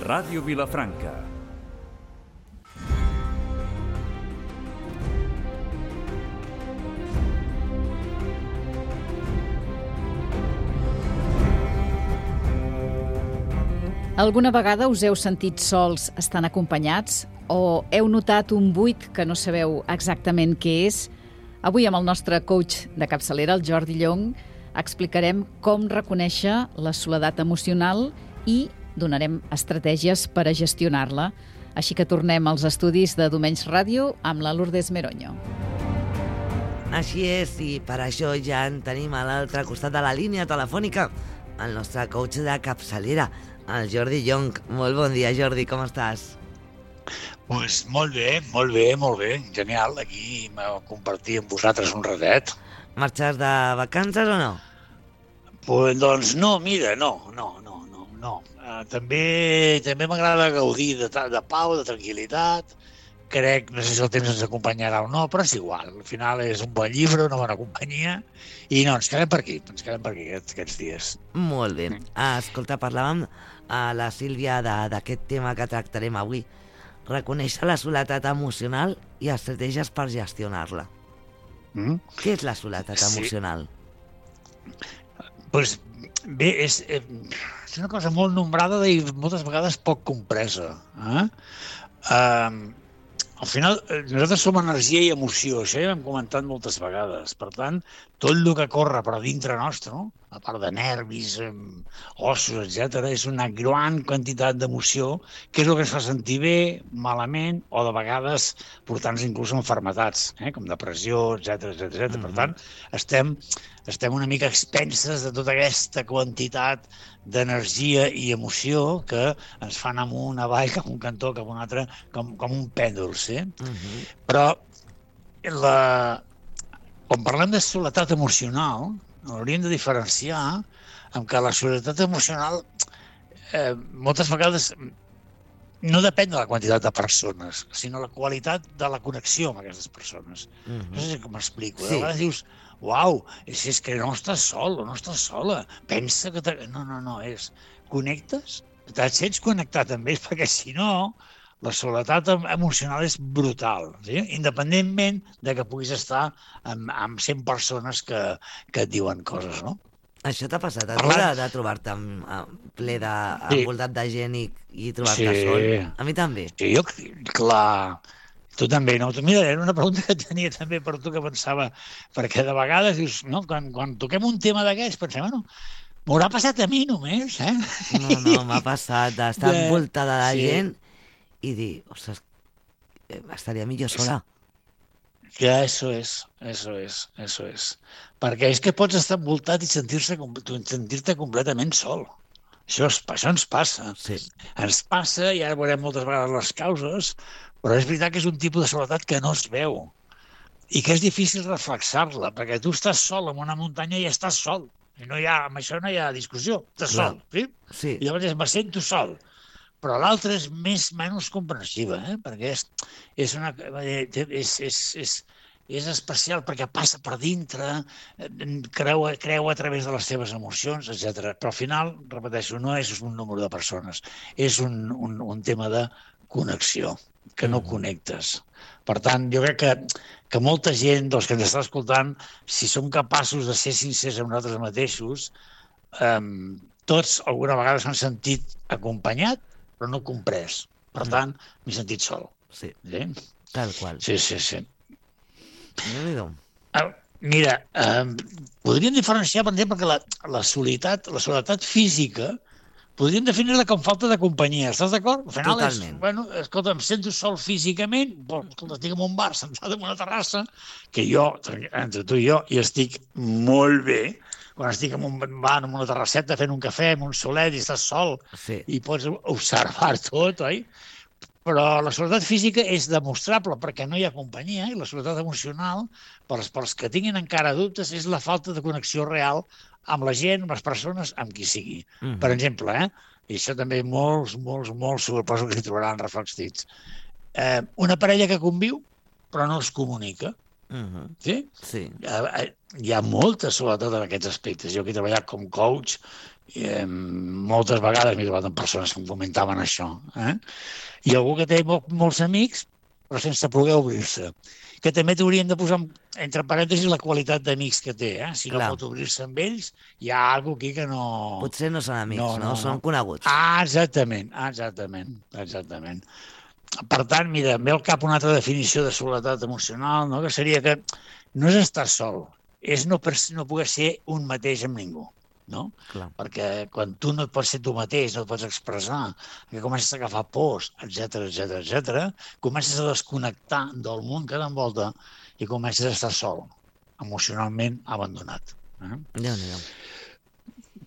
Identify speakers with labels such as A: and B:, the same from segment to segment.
A: Ràdio Vilafranca.
B: Alguna vegada us heu sentit sols estant acompanyats o heu notat un buit que no sabeu exactament què és? Avui amb el nostre coach de capçalera, el Jordi Llong, explicarem com reconèixer la soledat emocional i donarem estratègies per a gestionar-la. Així que tornem als estudis de Domenys Ràdio amb la Lourdes Meroño.
C: Així és, i per això ja en tenim a l'altre costat de la línia telefònica el nostre coach de capçalera, el Jordi Llong. Molt bon dia, Jordi, com estàs?
D: Pues molt bé, genial, aquí compartir amb vosaltres un ratet.
C: Marxes de vacances o no?
D: Pues, doncs no, mira, no. També m'agrada gaudir de pau, de tranquil·litat. Crec, no sé si el temps ens acompanyarà o no, però és igual. Al final és un bon llibre, una bona companyia, i no, ens quedem per aquí aquests dies.
C: Molt bé. Escolta, parlàvem a la Sílvia d'aquest tema que tractarem avui. Reconèixer la soledat emocional i estratègies per gestionar-la. Què és la soledat emocional?
D: Pues bé, és una cosa molt nombrada i moltes vegades poc compresa. Al final, nosaltres som energia i emoció, això ja ho hem comentat moltes vegades. Per tant, tot el que corre per dintre nostre, no? A part de nervis, ossos, etc., és una gran quantitat d'emoció, que és el que ens fa sentir bé, malament, o de vegades portar-nos inclús a malalties, com depressió, etc. Per tant, estem una mica expenses de tota aquesta quantitat d'energia i emoció que ens fan amunt, avall, cap un cantó, cap un altre, com un pèndol, sí? Però quan parlem de soledat emocional, hauríem de diferenciar amb que la soledat emocional moltes vegades no depèn de la quantitat de persones, sinó la qualitat de la connexió amb aquestes persones. No sé com m'explico. Sí. A vegades dius, uau, és que no estàs sol o no estàs sola. Pensa que... No, és... Connectes? Et sents connectat amb ells, perquè si no, la soledat emocional és brutal, sí? Independentment de que puguis estar amb 100 persones que et diuen coses, no?
C: Això t'ha passat a tu de trobar-te ple envoltat de gent i trobar-te sol? A mi també.
D: Sí, clar. Tu també, no? Mira, era una pregunta que tenia també per tu, que pensava, perquè de vegades dius, no, quan toquem un tema d'aquests, pensem, bueno, m'haurà passat a mi només, eh?
C: No, m'ha passat d'estar envoltada de gent i dir, ostres, estaria millor sola.
D: Ja, eso es. Perquè és que pots estar envoltat i sentir-te completament sol. Això ens passa.
C: Sí.
D: Ens passa, i ara veurem moltes vegades les causes, però és veritat que és un tipus de soledat que no es veu i que és difícil reflexar-la, perquè tu estàs sol en una muntanya i estàs sol. I amb això no hi ha discussió. Estàs sol, sí?
C: Sí.
D: I llavors me sento sol. Però l'altra és menys comprensiva, perquè és especial perquè passa per dintre, creu a través de les teves emocions, etc. Però al final, repeteixo, no és un número de persones, és un tema de connexió, que no connectes. Per tant, jo crec que molta gent dels que ens està escoltant, si som capaços de ser sincers amb nosaltres mateixos, tots alguna vegada s'han sentit acompanyat, però no comprès. Per tant, m'he sentit sol.
C: Sí, tal qual.
D: Sí.
C: Déu-n'hi-do.
D: Mira, podríem diferenciar, per exemple, que la soledat física podríem definir-la com falta de companyia. Estàs d'acord? Al final
C: Totalment.
D: Escolta, em sento sol físicament, escolta, estic en un bar, sentat en una terrassa, que jo, entre tu i jo, hi estic molt bé. Quan estic en un bar, en una terrasseta, fent un cafè, amb un solet, i estàs sol, i pots observar tot, oi? Però la soledat física és demostrable perquè no hi ha companyia, i la soledat emocional, pels que tinguin encara dubtes, és la falta de connexió real amb la gent, amb les persones, amb qui sigui. Per exemple, i això també molts, suposo que s'hi trobaran reflectits, una parella que conviu però no es comunica. Sí?
C: Sí.
D: Hi ha molta soledat en aquests aspectes. Jo que he treballat com coach moltes vegades m'he trobat amb persones que em comentaven això. I algú que té molts amics, però sense poder obrir-se. Que també t'hauríem de posar, entre parèntesis, la qualitat d'amics que té. Si no pot obrir-se amb ells, hi ha alguna aquí que no...
C: Potser no són amics, no? Són coneguts.
D: Exactament. Per tant, mira, em ve al cap una altra definició de soledat emocional, no? Que seria que no és estar sol, és no poder ser un mateix amb ningú. No? Perquè quan tu no et pots ser tu mateix, no et pots expressar, que comences a agafar pors, etc, comences a desconnectar del món que t'envolta i comences a estar sol, emocionalment abandonat.
C: Déu-n'hi-do.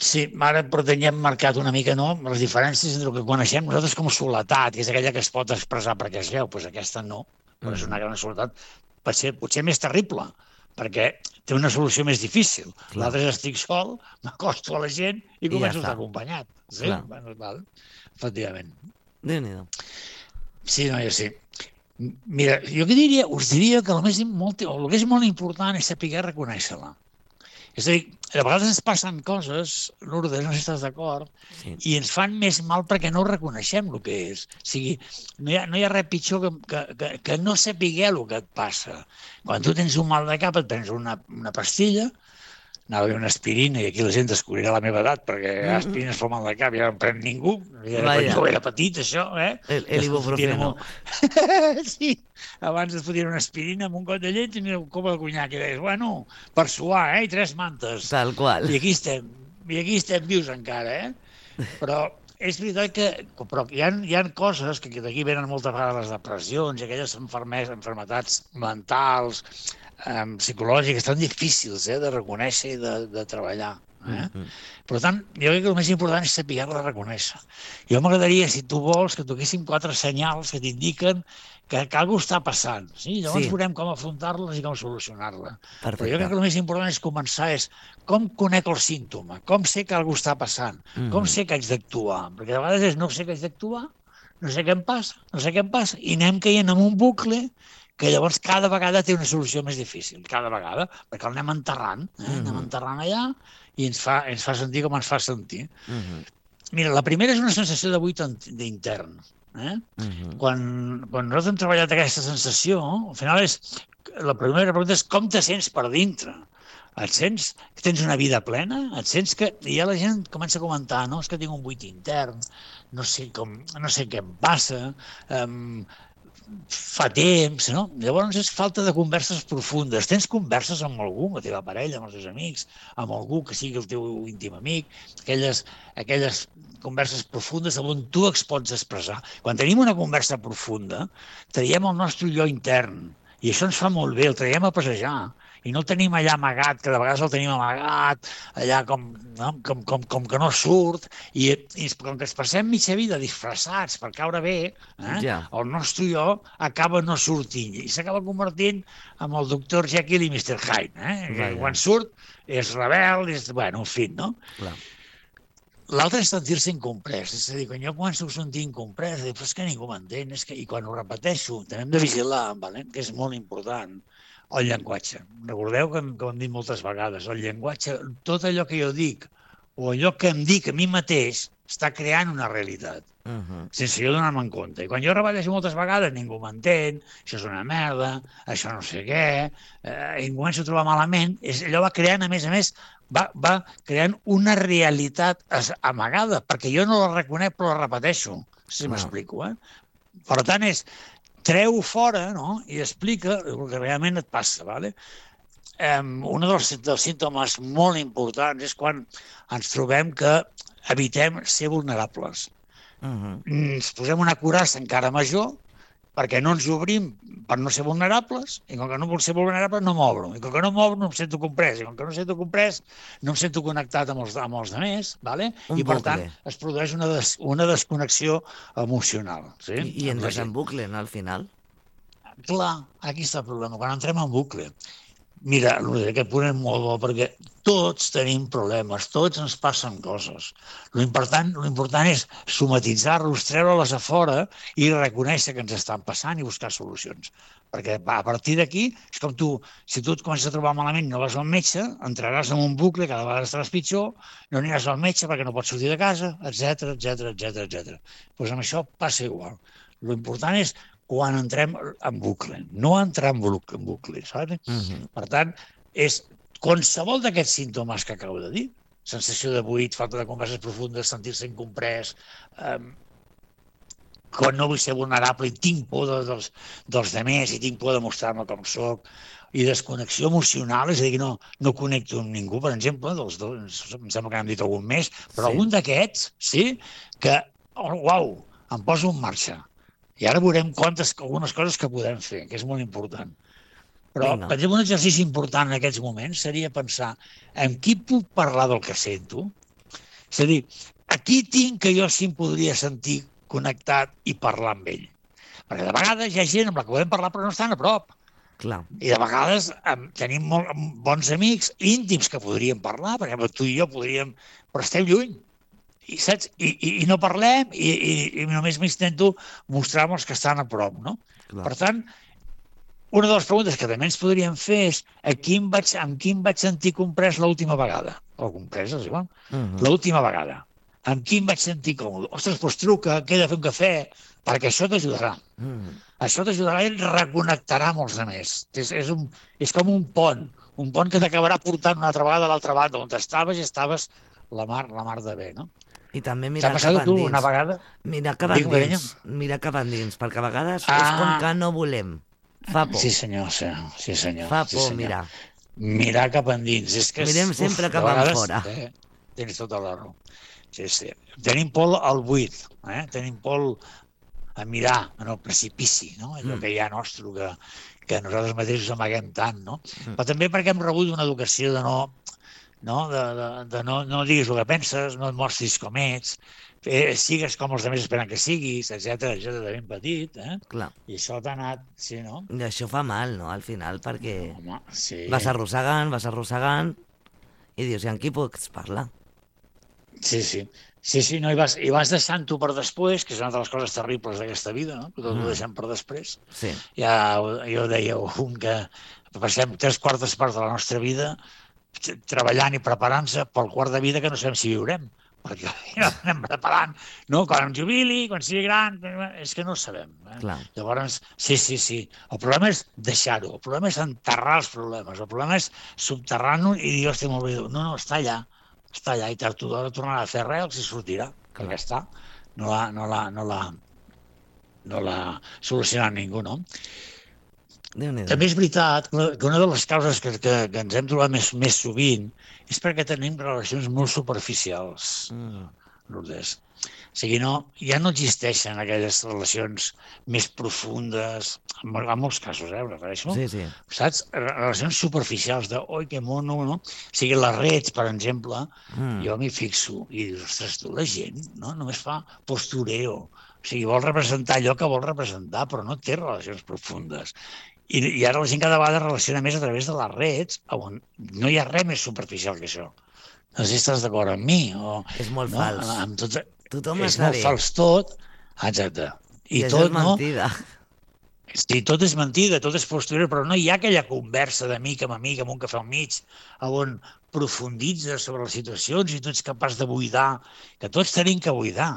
D: Sí, ara però teníem marcat una mica les diferències entre el que coneixem nosaltres com soledat, que és aquella que es pot expressar perquè es veu, doncs aquesta no, però és una gran soledat, potser més terrible, perquè té una solució més difícil. L'altre és estic sol, m'acosto a la gent i començo a estar acompanyat. Sí? Val. Efectivament.
C: Déu-n'hi-do.
D: Sí, no, sí. Mira, jo us diria que el que és molt important és saber reconèixer-la. És a dir, a vegades ens passen coses, Lourdes, no sé si estàs d'acord, i ens fan més mal perquè no reconeixem el que és. O sigui, no hi ha res pitjor que no saber el que et passa. Quan tu tens un mal de cap et prens una pastilla, anava a dir una aspirina, i aquí la gent descobrirà la meva edat, perquè aspirines fa mal de cap, ja no en pren ningú. Quan jo era petit, això,
C: L'ibuprofeno.
D: Sí, abans et fotien una aspirina amb un got de llet i una copa de conyac, i deies, bueno, per suar, i 3 mantes.
C: Tal qual.
D: I aquí estem vius encara, Però és veritat que hi ha coses que d'aquí venen moltes vegades les depressions i aquelles malalties mentals, psicològiques, tan difícils de reconèixer i de treballar. Per tant, jo crec que el més important és saber-la reconèixer. Jo m'agradaria, si tu vols, que toquéssim 4 senyals que t'indiquen que alguna cosa està passant. Llavors veurem com afrontar-les i com solucionar-la. Però jo crec que el més important és començar com conec el símptoma, com sé que alguna cosa està passant, com sé que haig d'actuar. Perquè a vegades no sé que haig d'actuar, no sé què em passa, i anem caient en un bucle que llavors cada vegada té una solució més difícil, cada vegada, perquè el anem enterrant allà i ens fa sentir com ens fa sentir. Mira, la primera és una sensació de buit intern. Quan nosaltres hem treballat aquesta sensació, al final la primera pregunta és com te sents per dintre. Et sents que tens una vida plena? Et sents que... I ja la gent comença a comentar, no, és que tinc un buit intern, no sé què em passa, fa temps, no? Llavors és falta de converses profundes. Tens converses amb algú, amb la teva parella, amb els teus amics, amb algú que sigui el teu íntim amic, aquelles converses profundes on tu es pots expressar. Quan tenim una conversa profunda, traiem el nostre jo intern, i això ens fa molt bé, el traiem a passejar, i no el tenim allà amagat, que de vegades el tenim amagat, allà com que no surt, i com que ens passem mitja vida disfressats per caure bé, el nostre jo acaba no sortint, i s'acaba convertint en el Dr. Jekyll i Mr. Hyde. Quan surt és rebel, en fi, no? L'altre és sentir-se incomprès, és a dir, quan jo començo a sentir incomprès, dic, però és que ningú m'entén, i quan ho repeteixo, també hem de vigilar, que és molt important, el llenguatge. Recordeu que ho hem dit moltes vegades, el llenguatge, tot allò que jo dic, o allò que em dic a mi mateix, està creant una realitat, sense jo donar-me en compte. I quan jo repeteixo moltes vegades, ningú m'entén, això és una merda, això no sé què, i em començo a trobar malament, allò va creant, a més, va creant una realitat amagada, perquè jo no la reconec però la repeteixo, si m'explico. Per tant, treu fora, no?, i explica el que realment et passa. Un dels símptomes molt importants és quan ens trobem que evitem ser vulnerables. Ens posem una coraça encara major perquè no ens obrim per no ser vulnerables, i com que no vull ser vulnerable no m'obro, i com que no m'obro no em sento comprès, i com que no em sento comprès no em sento connectat amb els altres, i per tant es produeix una desconnexió emocional.
C: I entres en bucle, no, al final?
D: Clar, aquí està el problema, quan entrem en bucle. Mira, aquest punt és molt bo, perquè tots tenim problemes, tots ens passen coses. L'important és somatitzar-los, treure-les a fora i reconèixer que ens estan passant i buscar solucions. Perquè a partir d'aquí, és com tu, si tu et comences a trobar malament i no vas al metge, entraràs en un bucle, cada vegada estaràs pitjor, no aniràs al metge perquè no pots sortir de casa, etc etc. Doncs amb això passa igual. L'important és quan entrem en bucle, no entrar en bucle, saps? Per tant, és qualsevol d'aquests símptomes que acabo de dir, sensació de buit, falta de converses profundes, sentir-se incomprès, quan no vull ser vulnerable i tinc por dels demés i tinc por de mostrar-me com soc, i desconnexió emocional, és a dir, que no connecto amb ningú, per exemple, em sembla que n'hem dit algun més, però algun d'aquests, sí, que, uau, em poso en marxa. I ara veurem algunes coses que podem fer, que és molt important. Però, per exemple, un exercici important en aquests moments seria pensar amb qui puc parlar del que sento? És a dir, a qui tinc que jo sí em podria sentir connectat i parlar amb ell? Perquè de vegades hi ha gent amb la que podem parlar però no estan a prop.
C: Clar.
D: I de vegades tenim bons amics íntims que podríem parlar, per exemple, tu i jo podríem, però estem lluny. I, saps? I no parlem i només m'intento mostrar amb els que estan a prop, no?
C: Clar.
D: Per tant, una de les preguntes que també ens podríem fer és amb qui em vaig sentir comprès l'última vegada? O comprès, és igual? L'última vegada. Amb qui em vaig sentir còmode? Ostres, doncs truca, queda a fer un cafè, perquè això t'ajudarà. Això t'ajudarà i et reconnectarà amb els altres. És com un pont que t'acabarà portant una altra vegada a l'altra banda, on estaves i estaves la mar de bé, no?
C: I també mirar
D: cap endins. T'ha passat tu una vegada?
C: Mirar cap endins, perquè a vegades és com que no volem. Fa por.
D: Sí, senyor.
C: Fa por mirar.
D: Mirar cap endins.
C: Mirem sempre cap enfora.
D: Tens tota la raó. Sí. Tenim por al buit, tenim por a mirar en el precipici, no? Allò que hi ha nostre, que nosaltres mateixos amaguem tant, no? Però també perquè hem rebut una educació de no diguis el que penses, no et mostris com ets, sigues com els altres esperen que siguis, etc de ben petit,
C: Clar.
D: I això t'ha anat, sí, no?
C: I això fa mal, no?, al final, perquè vas arrossegant, i dius, i amb qui pots parlar?
D: Sí, no, i vas deixant-ho per després, que és una de les coses terribles d'aquesta vida, no? Tot ho deixem per després.
C: Sí.
D: Ja jo deia que passem 3/4 parts de la nostra vida treballant i preparant-se pel quart de vida que no sabem si viurem, perquè no anem preparant, no? Quan em jubili, quan sigui gran, és que no ho sabem. Llavors, sí. El problema és deixar-ho, el problema és enterrar els problemes, el problema és subterrar-nos i dir, hòstia, molt bé, no, està allà, i tard o d'hora tornarà a fer res i sortirà, perquè està, no l'ha solucionat ningú, no? També és veritat que una de les causes que ens hem trobat més sovint és perquè tenim relacions molt superficials, Lourdes. O sigui, ja no existeixen aquelles relacions més profundes, en molts casos, em refereixo, saps? Relacions superficials de, oi, que mono, no? O sigui, les redes, per exemple, jo m'hi fixo i dius, ostres, tu, la gent, no? Només fa postureo. O sigui, vol representar allò que vol representar, però no té relacions profundes. I ara la gent cada vegada relaciona més a través de les redes, on no hi ha res més superficial que això. No sé si estàs d'acord amb mi.
C: És molt fals. Tothom
D: és molt fals tot. Exacte.
C: I tot, és mentida.
D: Sí, tot és mentida, tot és posterior, però no hi ha aquella conversa d'amic amb un cafè al mig, on profunditzes sobre les situacions i tu ets capaç de buidar, que tots tenim que buidar.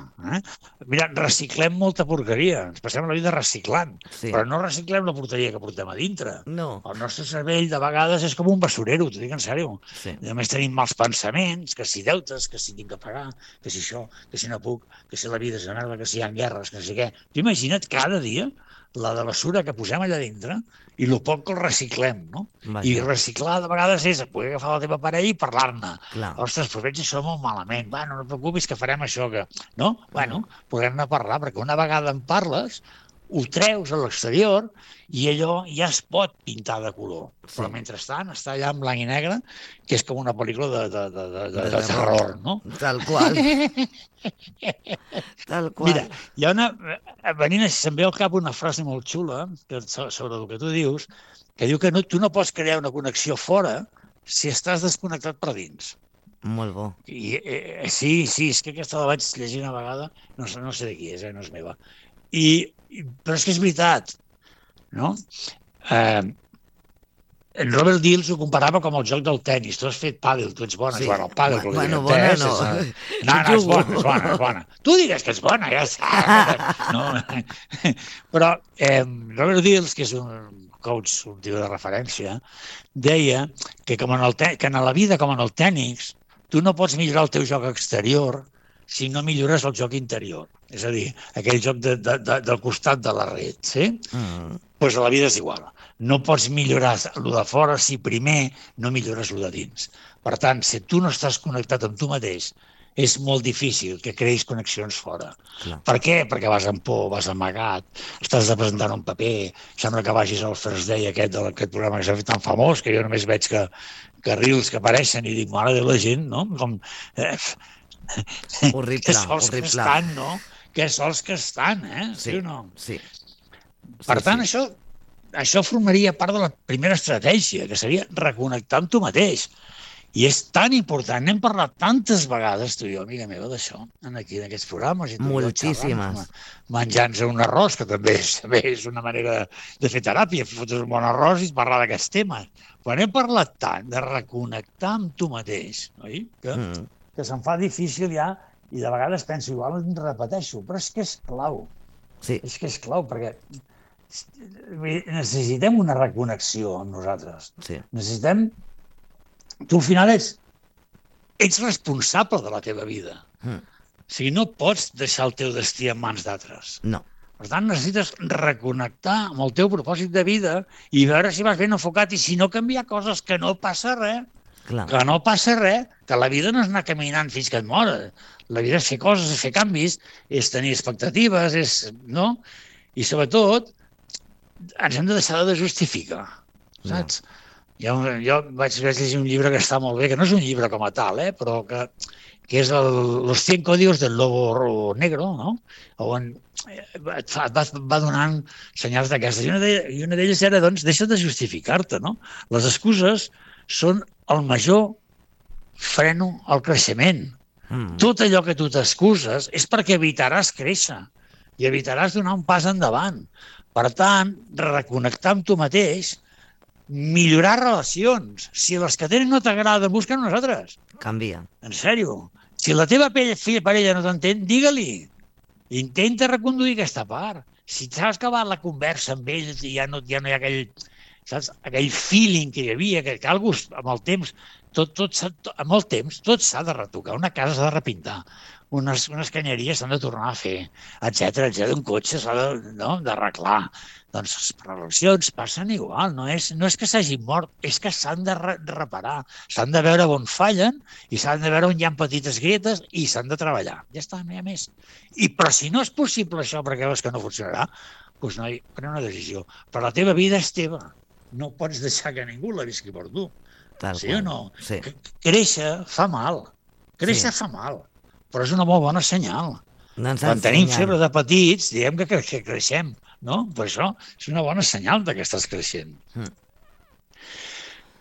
D: Mira, reciclem molta porqueria, ens passem la vida reciclant, però no reciclem la porqueria que portem a dintre.
C: No.
D: El nostre cervell de vegades és com un basurero, t'ho dic en sèrio. Només tenim mals pensaments, que si deutes, que si tinc que pagar, que si això, que si no puc, que si la vida és una merda, que si hi ha guerres, que si què. Tu imagina't cada dia la de basura que posem allà dintre i el poc que el reciclem, no? I reciclar de vegades és poder agafar la teva parella i parlar-ne. Ostres, però veig això molt malament. No et preocupis que farem això, que... No? Podem anar a parlar, perquè una vegada en parles, ho treus a l'exterior i allò ja es pot pintar de color.
C: Sí.
D: Però mentrestant està allà en blanc i negre, que és com una pel·lícula de terror, no?
C: Tal qual. Tal qual.
D: Mira, hi ha se'm ve al cap una frase molt xula sobre el que tu dius, que diu que tu no pots crear una connexió fora si estàs desconnectat per dins.
C: Molt bo.
D: Sí, és que aquesta la vaig llegir una vegada, no sé de qui és, no és meva. Però és que és veritat, no? En Robert Dills ho comparava com el joc del tennis. Tu has fet pàdel, tu ets bona,
C: Sí.
D: Joan, el pàdel.
C: Bueno, bona no.
D: No, és bona. Tu digues que ets bona, ja saps. No. Però Robert Dills, que és un coach, un tio de referència, deia que en la vida com en el tenis, tu no pots millorar el teu joc exterior si no millores el joc interior. És a dir, aquell joc del costat de la red, sí? Doncs a la vida és igual. No pots millorar el de fora si primer no millores el de dins. Per tant, si tu no estàs connectat amb tu mateix, és molt difícil que creïs connexions fora.
C: Clar.
D: Per què? Perquè vas amb por, vas amagat, estàs representant un paper, sembla que vagis al First Day aquest programa que s'ha fet tan famós, que jo només veig que reels que apareixen i dic, mare de la gent, no? Com...
C: Horrible,
D: que sols
C: horrible.
D: que estan, no? Que sols que estan,
C: Sí
D: o no?
C: Sí.
D: Per tant, això formaria part de la primera estratègia, que seria reconnectar amb tu mateix. I és tan important, n'hem parlat tantes vegades, tu i jo, amiga meva, d'això, aquí en aquests programes.
C: Moltíssimes.
D: Menjant-se un arròs, que també és una manera de fer teràpia, fotre un bon arròs i parlar d'aquests temes. Però hem parlat tant de reconnectar amb tu mateix, oi? Que se'm fa difícil ja, i de vegades penso, igual em repeteixo, però és que és clau.
C: Sí.
D: És que és clau, perquè necessitem una reconnexió amb nosaltres.
C: Sí.
D: Necessitem... Tu al final ets responsable de la teva vida. O sigui, no pots deixar el teu destí en mans d'altres.
C: No.
D: Per tant, necessites reconnectar amb el teu propòsit de vida i veure si vas ben enfocat i si no canviar coses, que no passa res.
C: Clar.
D: Que no passa res, que la vida no és anar caminant fins que et mores. La vida és fer coses, és fer canvis, és tenir expectatives, no? I sobretot, ens hem de deixar de justificar, saps? No. Jo vaig llegir un llibre que està molt bé, que no és un llibre com a tal, però que és Los 100 códigos del lobo negro, no? On et va donant senyals d'aquestes. I una d'elles era, doncs, deixa de justificar-te, no? Les excuses són el major freno al creixement. Tot allò que tu t'excuses és perquè evitaràs créixer i evitaràs donar un pas endavant. Per tant, reconnectar amb tu mateix, millorar relacions. Si les que tenen no t'agraden, busquen unes altres.
C: Canvia.
D: En sèrio. Si la teva parella no t'entén, digue-li. Intenta reconduir aquesta part. Si t'has acabat la conversa amb ells i ja no hi ha aquell feeling que hi havia, que algú amb el temps, amb el temps tot s'ha de retocar. Una casa s'ha de repintar. Unes canyeries s'han de tornar a fer, etcètera. Un cotxe s'ha d'arreglar. Doncs les relacions passen igual, no és que s'hagin mort, és que s'han de reparar, s'han de veure on fallen i s'han de veure on hi ha petites grietes i s'han de treballar. Ja està, no hi ha més. Però si no és possible això perquè veus que no funcionarà, doncs noi, pren una decisió. Però la teva vida és teva, no pots deixar que ningú la visqui per tu. Sí o no?
C: Sí.
D: Créixer fa mal, fa mal, però és una molt bona senyal. Quan tenim febre de petits, diem que creixem, no? Per això és una bona senyal que estàs creixent.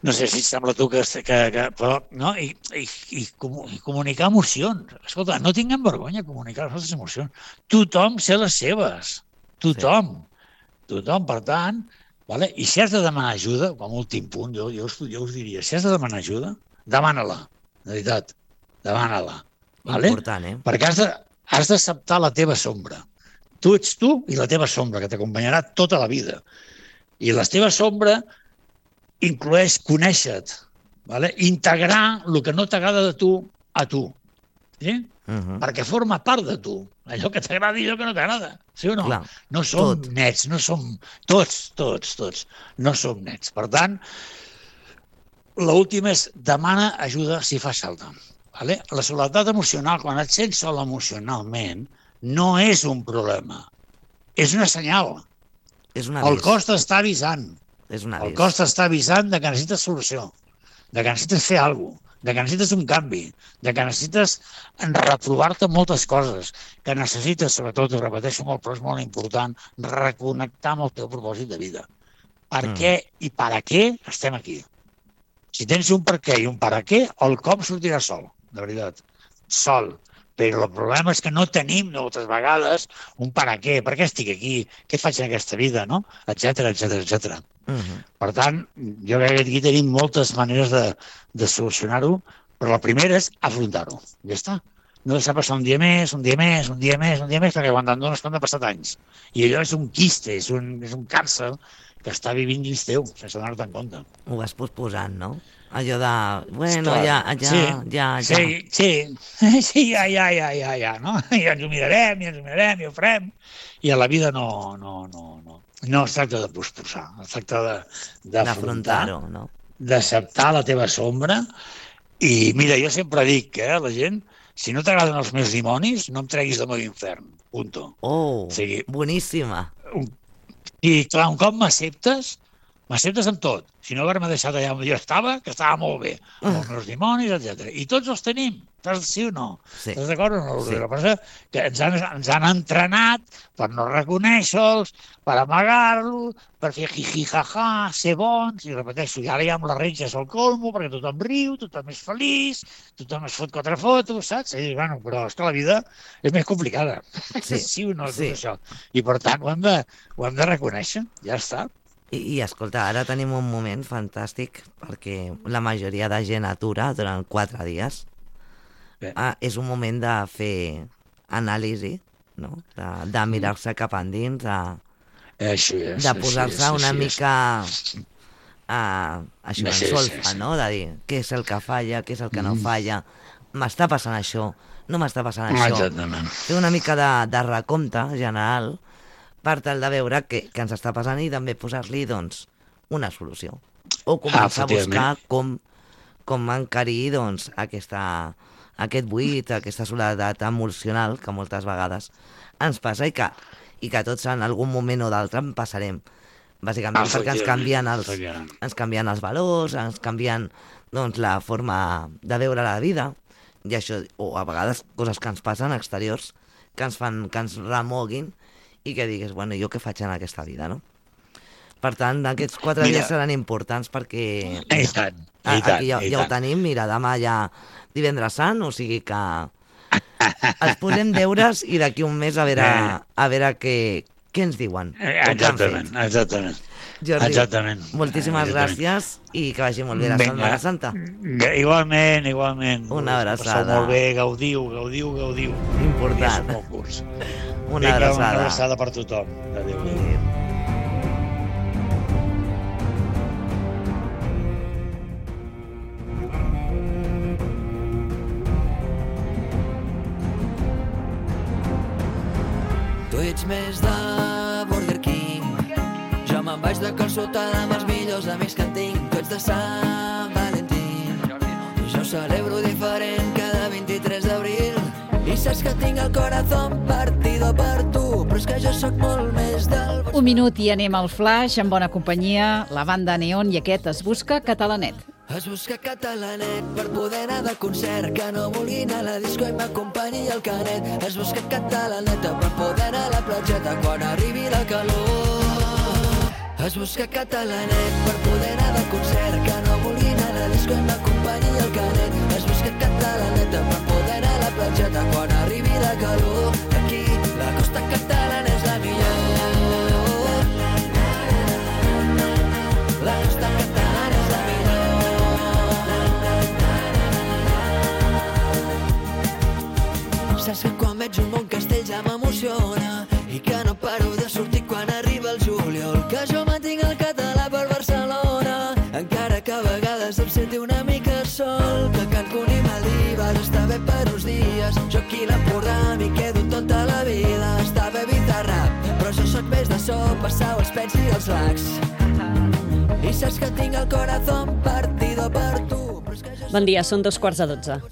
D: No sé si et sembla tu que però, no? I comunicar emocions. Escolta, no tinguem vergonya de comunicar les nostres emocions. Tothom sé les seves. Tothom. Per tant, vale? I si has de demanar ajuda, com a últim punt, jo us diria, si has de demanar ajuda, demana-la. De veritat, demana-la. Vale?
C: Important,
D: Perquè has d'acceptar la teva sombra. Tu ets tu i la teva sombra, que t'acompanyarà tota la vida. I la teva sombra incloeix conèixer-te, vale? Integrar el que no t'agrada de tu a tu. Sí? Perquè forma part de tu. Allò que t'agrada i allò que no t'agrada. Sí o no?
C: Clar,
D: no som nets, no som... Tots. No som nets. Per tant, l'últim és demana ajuda si fas falta. Vale? La soledat emocional, quan et sents sol emocionalment, no és un problema. és una senyal.
C: És un
D: El
C: avís.
D: cos t'està avisant.
C: És un
D: El
C: avís.
D: cos t'està avisant de que necessites solució, de que necessites fer alguna cosa, de que necessites un canvi, de que necessites reprovar-te moltes coses, que necessites, sobretot, ho repeteixo molt, però és molt important, reconnectar amb el teu propòsit de vida. Per què i per a què estem aquí? Si tens un per què i un per a què, el cop sortirà sol, de veritat, sol. Però el problema és que no tenim moltes vegades un per a què estic aquí, què faig en aquesta vida, no? Etcètera, etcètera, etcètera. Per tant, jo crec que aquí tenim moltes maneres de solucionar-ho, però la primera és afrontar-ho. Ja està. No deixar passar un dia més, perquè quan te'n dones compte han passat anys. I allò és un quiste, és un càrcer que està vivint dins teu, sense donar-te en compte.
C: Ho vas posposant, no? Allò de, bueno,
D: Esclar,
C: ja.
D: Sí, ja, no? Ja ens ho mirarem, i ho farem. I a la vida no es tracta de posposar, es tracta d'afrontar,
C: no?
D: d'acceptar la teva sombra. I mira, jo sempre dic a la gent, si no t'agraden els meus dimonis, no em treguis del meu infern, punto.
C: Oh,
D: O sigui,
C: boníssima.
D: I clar, un cop m'acceptes amb tot. Si no haver-me deixat allà on jo estava, que estava molt bé, amb els meus dimonis, etc. I tots els tenim, sí o no?
C: Sí.
D: Estàs d'acord o no?
C: Sí.
D: El que passa que ens han entrenat per no reconèixer-los, per amagar-lo, per fer jiji-jaja, ser bons, i repeteixo, i ara ja amb les retges al colmo, perquè tothom riu, tothom és feliç, tothom es fot 4 fotos, saps? I dius, bueno, però és que la vida és més complicada. Sí o no, tot això. I per tant ho hem de reconèixer, ja està.
C: I escolta, ara tenim un moment fantàstic perquè la majoria de gent atura durant 4 dies. És un moment de fer anàlisi, no? De mirar-se cap endins, de posar-se una mica això, en solfa, no? De dir què és el que falla, què és el que no falla, m'està passant això, no m'està passant això.
D: Exactament.
C: Fer una mica de recompte general per tal de veure què ens està passant i també posar-li, doncs, una solució. O començar a buscar com encarir, doncs, aquest buit, aquesta soledat emocional que moltes vegades ens passa i que tots en algun moment o d'altre en passarem. Bàsicament perquè ens canvien els valors, ens canvien, doncs, la forma de veure la vida, i això, o a vegades coses que ens passen exteriors que ens remoguin i que digues, bueno, jo què faig en aquesta vida, no? Per tant, aquests 4 dies seran importants perquè... Aquí ja ho tenim, mira, demà ja divendres sant, o sigui que els posem deures i d'aquí un mes a veure què ens diuen.
D: Exactament.
C: Jordi, moltíssimes gràcies i que vagi molt bé la Setmana Santa.
D: Igualment.
C: Una abraçada.
D: Passeu molt bé, gaudiu.
C: Important. Una abraçada
D: per tothom. Adéu.
E: Tu ets més de Burger King, jo me'n vaig de calçotada amb els millors amics que en tinc. Tu ets de Sant Valentín, jo celebro diferent cada 23 d'abril. I saps que tinc el corazón partido per tu, però és que jo sóc molt més del...
B: Un minut i anem al flash, en bona companyia, la banda Neon i aquest Es busca Catalanet.
E: Es busca Catalanet per poder anar de concert, que no vulgui anar a la disco i m'acompanyi el canet. Es busca Catalaneta per poder anar a la platgeta quan arribi la calor. Es busca Catalanet per poder anar de concert, que no vulgui anar a la disco i m'acompanyi el canet. Es busca Catalaneta per poder anar a la platgeta quan arribi la calor. Aquí la costa catalana és la millor. La costa catalana és la millor. Saps que quan veig un bon castell ja m'emociona i que no paro de sortir quan arriba el juliol, que jo mantinc el català per Barcelona, encara que a vegades em senti una mica sol, que Cancún i Maldives està bé per uns dies, jo aquí a l'Empordà m'hi quedo tota la vida. Està bé evitar rap, però jo sóc més de sopa, sau, els pets i els lacs. I saps que tinc el corazón partido per tu.
F: Bon dia, són 11:45.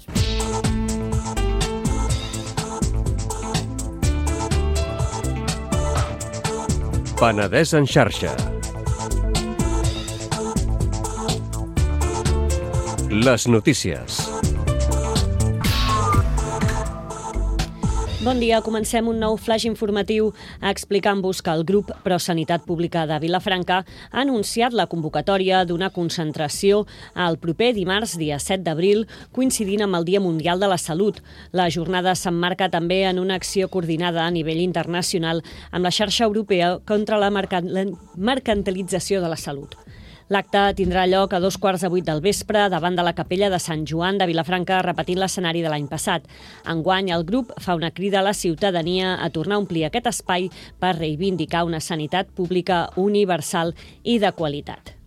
A: Penedès en xarxa. Les notícies.
F: Bon dia, comencem un nou flash informatiu explicant-vos que el grup ProSanitat Pública de Vilafranca ha anunciat la convocatòria d'una concentració el proper dimarts, dia 7 d'abril, coincidint amb el Dia Mundial de la Salut. La jornada s'emmarca també en una acció coordinada a nivell internacional amb la xarxa europea contra la mercantilització de la salut. L'acte tindrà lloc a 7:15 del vespre davant de la capella de Sant Joan de Vilafranca, repetint l'escenari de l'any passat. Enguany, el grup fa una crida a la ciutadania a tornar a omplir aquest espai per reivindicar una sanitat pública universal i de qualitat.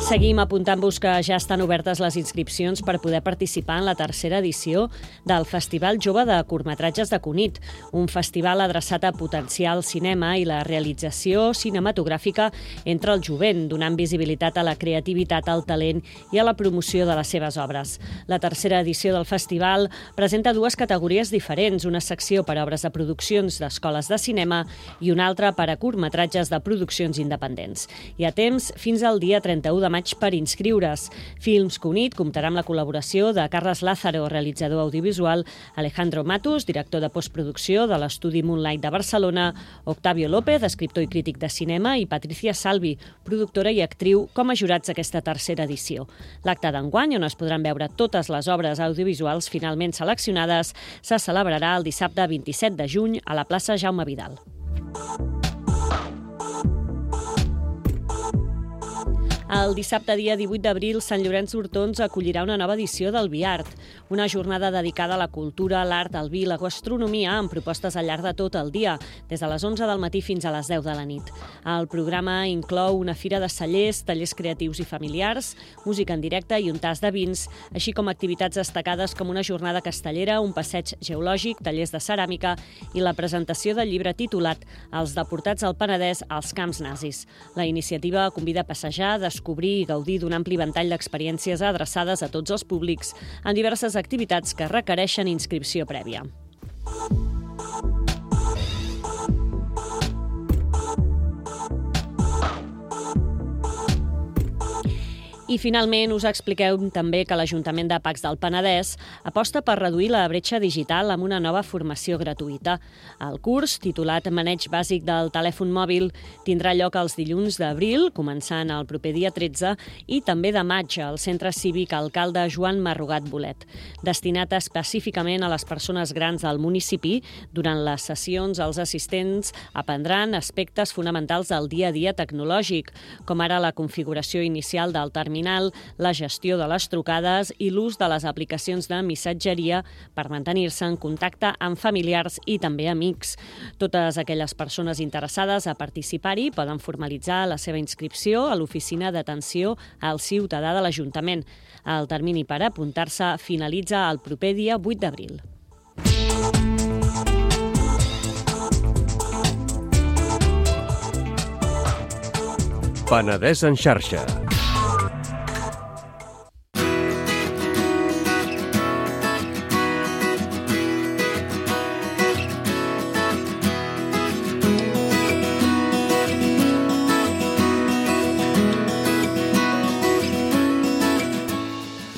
F: Seguim apuntant-vos que ja estan obertes les inscripcions per poder participar en la tercera edició del Festival Jove de Curtmetratges de Cunit, un festival adreçat a potenciar el cinema i la realització cinematogràfica entre el jovent, donant visibilitat a la creativitat, al talent i a la promoció de les seves obres. La tercera edició del festival presenta dues categories diferents, una secció per a obres de produccions d'escoles de cinema i una altra per a curtmetratges de produccions independents. Hi ha temps fins al dia 31 de maig per inscriure's. Films Cunit comptarà amb la col·laboració de Carles Lázaro, realitzador audiovisual, Alejandro Matus, director de postproducció de l'Estudi Moonlight de Barcelona, Octavio López, escriptor i crític de cinema, i Patricia Salvi, productora i actriu, com a jurats d'aquesta tercera edició. L'acte d'enguany, on es podran veure totes les obres audiovisuals finalment seleccionades, se celebrarà el dissabte 27 de juny a la plaça Jaume Vidal. El dissabte, dia 18 d'abril, Sant Llorenç d'Hortons acollirà una nova edició del Biart, una jornada dedicada a la cultura, l'art, el vi i la gastronomia, amb propostes al llarg de tot el dia, des de les 11 del matí fins a les 10 de la nit. El programa inclou una fira de cellers, tallers creatius i familiars, música en directe i un tas de vins, així com activitats destacades com una jornada castellera, un passeig geològic, tallers de ceràmica i la presentació del llibre titulat Els deportats al Penedès als camps nazis. La iniciativa convida a passejar, descobrir i gaudir d'un ampli ventall d'experiències adreçades a tots els públics en diverses activitats que requereixen inscripció prèvia. I finalment us expliquem també que l'Ajuntament de Pacs del Penedès aposta per reduir la bretxa digital amb una nova formació gratuïta. El curs, titulat Maneig bàsic del telèfon mòbil, tindrà lloc els dilluns d'abril, començant el proper dia 13, i també de maig al Centre Cívic Alcalde Joan Marrugat Bolet. Destinat específicament a les persones grans del municipi, durant les sessions els assistents aprendran aspectes fonamentals del dia a dia tecnològic, com ara la configuració inicial del terminal, la gestió de les trucades i l'ús de les aplicacions de missatgeria per mantenir-se en contacte amb familiars i també amics. Totes aquelles persones interessades a participar-hi poden formalitzar la seva inscripció a l'Oficina d'Atenció al Ciutadà de l'Ajuntament. El termini per apuntar-se finalitza el proper dia 8 d'abril.
A: Penedès en xarxa.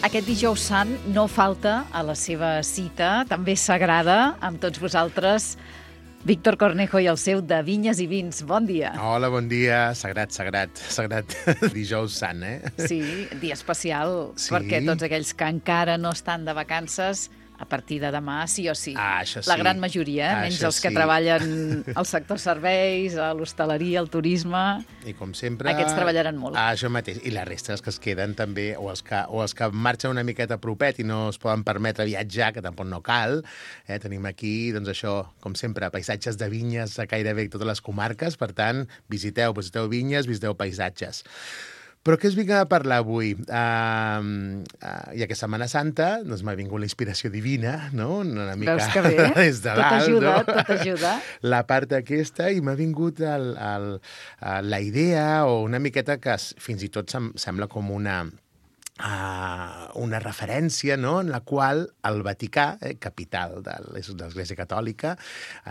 B: Aquest dijous sant no falta a la seva cita, també sagrada, amb tots vosaltres, Víctor Cornejo i el seu De Vinyes i Vins. Bon dia.
G: Hola, bon dia. Sagrat dijous sant, eh?
B: Sí, dia especial, sí. Perquè tots aquells que encara no estan de vacances, a partir de demà, sí o sí.
G: Això sí.
B: La gran majoria, menys els que treballen al sector serveis, a l'hostaleria, al turisme.
G: I com sempre...
B: Aquests treballaran molt.
G: Això mateix. I la resta, els que es queden també, o els que marxen una miqueta propet i no es poden permetre viatjar, que tampoc no cal. Tenim aquí, doncs això, com sempre, paisatges de vinyes a gairebé totes les comarques. Per tant, visiteu vinyes, visiteu paisatges. Però què us vinc a parlar avui? Ja que és Setmana Santa, doncs m'ha vingut la inspiració divina, no? Una mica
B: veus que bé?
G: Des de dalt,
B: tot ajuda.
G: La part aquesta, i m'ha vingut la idea, o una miqueta que fins i tot sembla com una una referència, no?, en la qual el Vaticà, capital de l'Església Catòlica,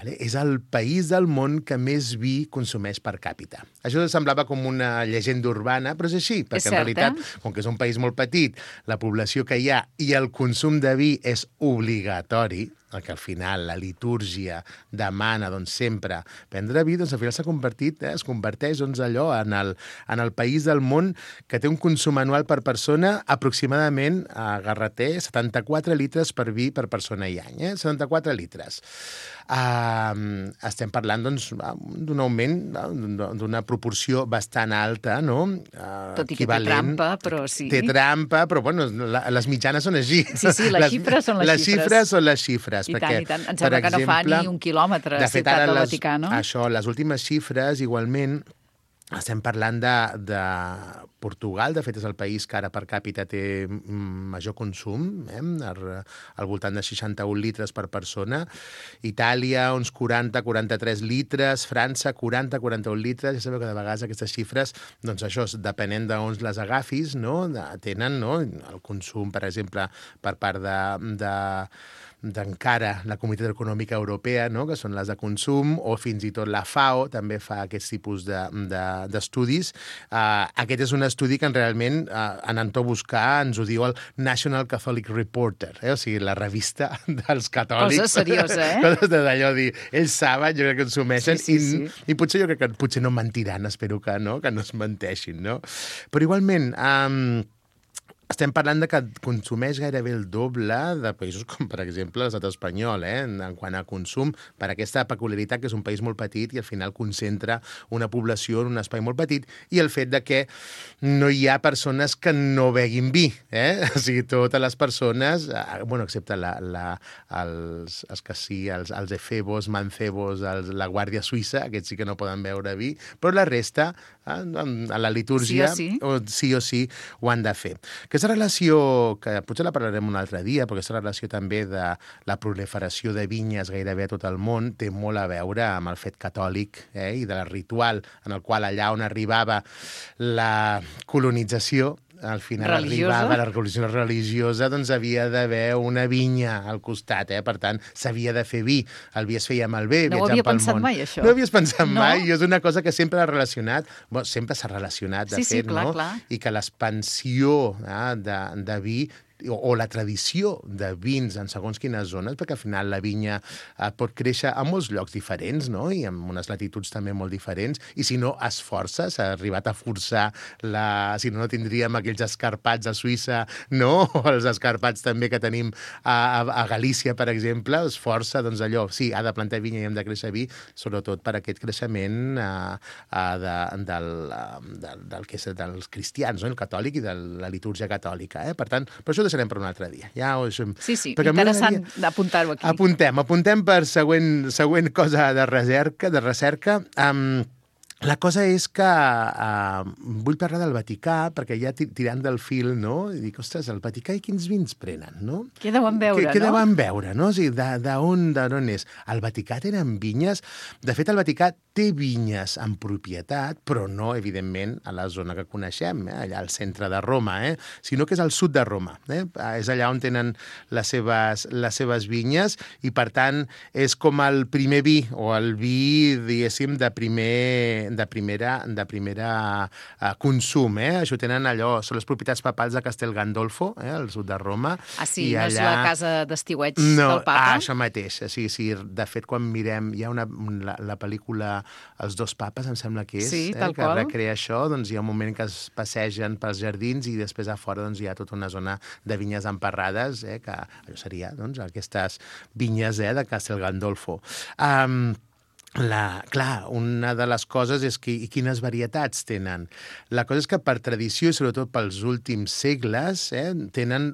G: és el país del món que més vi consumeix per càpita. Això semblava com una llegenda urbana, però és així, perquè en realitat, com que és un país molt petit, la població que hi ha i el consum de vi és obligatori, que al final la litúrgia demana sempre prendre vi, doncs al final es converteix allò en el país del món que té un consum anual per persona aproximadament, a Garreter, 74 litres per vi per persona i any. 74 litres. Estem parlant d'un augment, d'una proporció bastant alta, no?
B: Tot i que té trampa, però sí.
G: Té trampa, però bueno, les mitjanes són així.
B: Sí, les xifres són les xifres.
G: Les xifres són les xifres.
B: I tant, i tant. Em sembla que no fa ni un quilòmetre a Ciutat del Vaticà, no?
G: Això, les últimes xifres, igualment, estem parlant de Portugal, de fet és el país que ara per càpita té major consum, al voltant de 61 litres per persona. Itàlia, uns 40-43 litres. França, 40-41 litres. Ja sabeu que de vegades aquestes xifres, doncs això, depenent d'on les agafis, no?, tenen, no?, el consum, per exemple, per part d'encara la Comunitat Econòmica Europea, no?, que són les de consum, o fins i tot la FAO també fa aquests tipus d'estudis. Aquest és un estudi que realment, en to buscar, ens ho diu el National Catholic Reporter, o sigui, la revista dels catòlics.
B: Cosa seriosa,
G: Coses d'allò dir, ells saben, jo crec que consumeixen,
B: sí.
G: I potser jo crec que potser no mentiran, espero que no es menteixin, no? Però igualment, estem parlant de que consumeix gairebé el doble de països com, per exemple, l'estat espanyol, en quant a consum, per aquesta peculiaritat que és un país molt petit i al final concentra una població en un espai molt petit, i el fet de que no hi ha persones que no beguin vi, O sigui, totes les persones, bueno, excepte els que sí, els efebos, mancebos, la Guàrdia Suïssa, aquests sí que no poden beure vi, però la resta, a la litúrgia, sí o sí, ho han de fer. Aquesta relació, que potser la parlarem un altre dia, però aquesta relació també de la proliferació de vinyes gairebé a tot el món té molt a veure amb el fet catòlic i del ritual en el qual allà on arribava la colonització, al final arribava la revolució religiosa, doncs havia d'haver una vinya al costat, Per tant, s'havia de fer vi. El vi es feia malbé, viatjant pel món.
B: No ho havia pensat mai, això.
G: No ho havies pensat mai, i és una cosa que sempre l'ha relacionat, sempre s'ha relacionat, de fet,
B: clar,
G: no?
B: Clar.
G: I que l'expansió de vi o la tradició de vins en segons quines zones, perquè al final la vinya pot créixer a molts llocs diferents, no?, i en unes latituds també molt diferents, i si no es força, s'ha arribat a forçar si no tindríem aquells escarpats a Suïssa, no?, o els escarpats també que tenim a Galícia, per exemple, es força, doncs allò, sí, ha de plantar vinya i hem de créixer vi, sobretot per aquest creixement del que és dels cristians, no?, el catòlic i de la litúrgia catòlica, Per tant, per això deixarem per un altre dia.
B: Sí, interessant d'apuntar-ho aquí.
G: Apuntem per següent cosa de recerca. La cosa és que vull parlar del Vaticà, perquè ja tirant del fil, no? I dic, ostres, el Vaticà i quins vins prenen, no?
B: Què deuen veure,
G: Què deuen veure, no? O sigui, d'on és? El Vaticà tenen vinyes. De fet, el Vaticà té vinyes en propietat, però no, evidentment, a la zona que coneixem, allà al centre de Roma, sinó que és al sud de Roma. És allà on tenen les seves vinyes i, per tant, és com el primer vi, o el vi, diguéssim, de primera consum. Això tenen allò, són les propietats papals de Castel Gandolfo, al sud de Roma.
B: Sí, no és la casa d'estiueig del papa?
G: Això mateix. Sí, de fet, quan mirem, hi ha la pel·lícula Els dos papes, em sembla que és, que recrea això, doncs hi ha un moment que es passegen pels jardins i després a fora hi ha tota una zona de vinyes emparrades, que allò seria aquestes vinyes de Castel Gandolfo. Clar, una de les coses és quines varietats tenen. La cosa és que per tradició, i sobretot pels últims segles, tenen